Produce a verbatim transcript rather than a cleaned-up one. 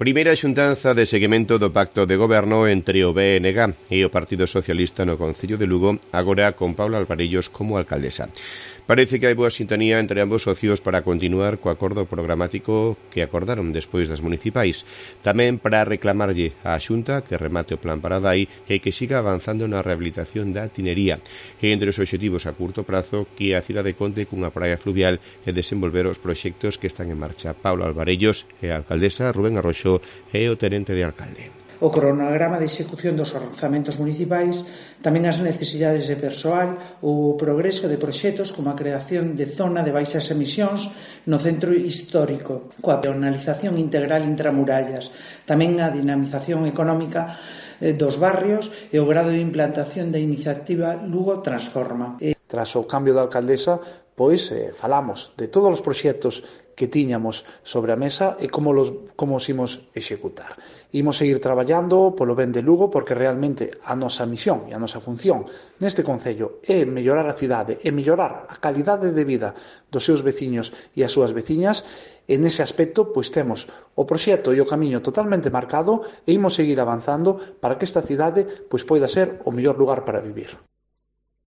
Primeira xuntanza de seguimento do pacto de goberno entre o B N G e o Partido Socialista no Concello de Lugo, agora con Paula Alvarellos como alcaldesa. Parece que hai boa sintonía entre ambos socios para continuar co acordo programático que acordaron despois das municipais. Tamén para reclamarlle á Xunta que remate o plan Paradai e que siga avanzando na rehabilitación da tinería. E entre os obxectivos a curto prazo que a cidade conte cunha praia fluvial e desenvolver os proxectos que están en marcha. Paula Alvarellos é a alcaldesa, Rubén Arroxo é o tenente de alcalde. O cronograma de execución dos orzamentos municipais, tamén as necesidades de persoal, o progreso de proxectos como a creación de zona de baixas emisións no centro histórico, coa peonalización integral intramurallas, tamén a dinamización económica dos barrios e o grado de implantación da iniciativa Lugo Transforma. Tras o cambio da alcaldesa, pois eh, falamos de todos os proxectos que tiñamos sobre a mesa e como los, como os imos executar. Imos seguir traballando polo ben de Lugo porque realmente a nosa misión e a nosa función neste concello é mellorar a cidade e mellorar a calidade de vida dos seus veciños e as súas veciñas. E nese aspecto pois temos o proxecto e o camiño totalmente marcado e imos seguir avanzando para que esta cidade pois poida ser o mellor lugar para vivir.